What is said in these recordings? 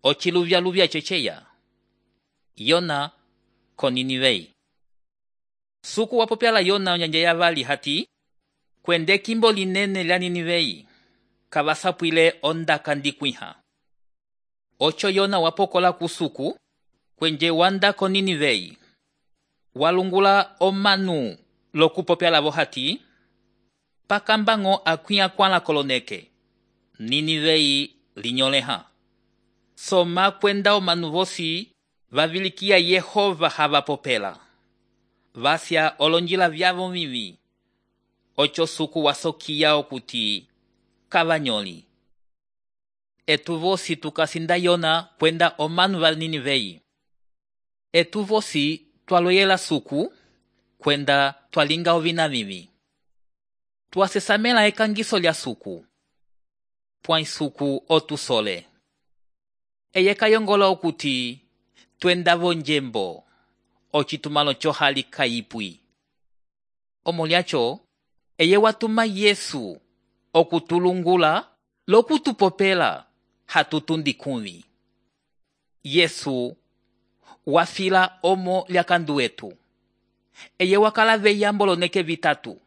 ociluvya ceceya. Yona ko Ninivei. Suku wapopyala Yona onyanja yavali hati, kwende kimbo linene lya Ninivei, kavasapwile ondaka ndikwiha. Ocho Yona wapokola kusuku, kwenje wanda ko Ninivei. Walungula omanu lokupopyala vo hati, pakambango akwia kwala koloneke, Ninivei linyoleha. Soma kwenda omanu vosi vavilikia Yehova havapopela. Vasya olonjila vyavo vivi. Ocho suku wasokia okuti kavanyoli. Etu vosi tukasinda Yona kwenda omanu va Ninivei. Etu vosi twaloyela suku kwenda twalinga ovina vivi. Twasesamela ekangiso lya suku. Pwai suku otusole. Eye kayongola okuti twenda vonjembo. Ocitumalo chohali kayipwi. Omolyacho, eye watuma Yesu okutulungula lokutupopela hatutundi kumvi. Yesu wafila omo lyakandu wetu. Eye wakala veyambo oloneke vitatu.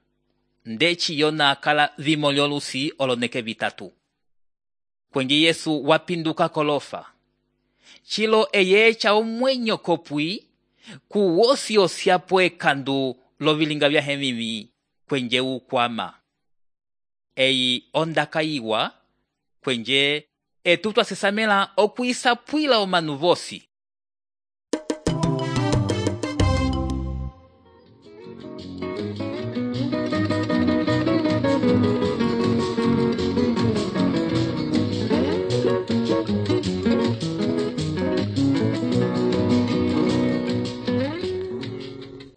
Ndeci Yona akala vimo lyolusi oloneke vitatu. Kwenye Yesu wapinduka kolofa. Chilo eye echa omwenyo kopwi kuwosi osiapo ekandu lovilinga vya hemivi kwenje ukwama. Eyi ondaka iwa kwenje etu twasesamela okwisapwila omanu vosi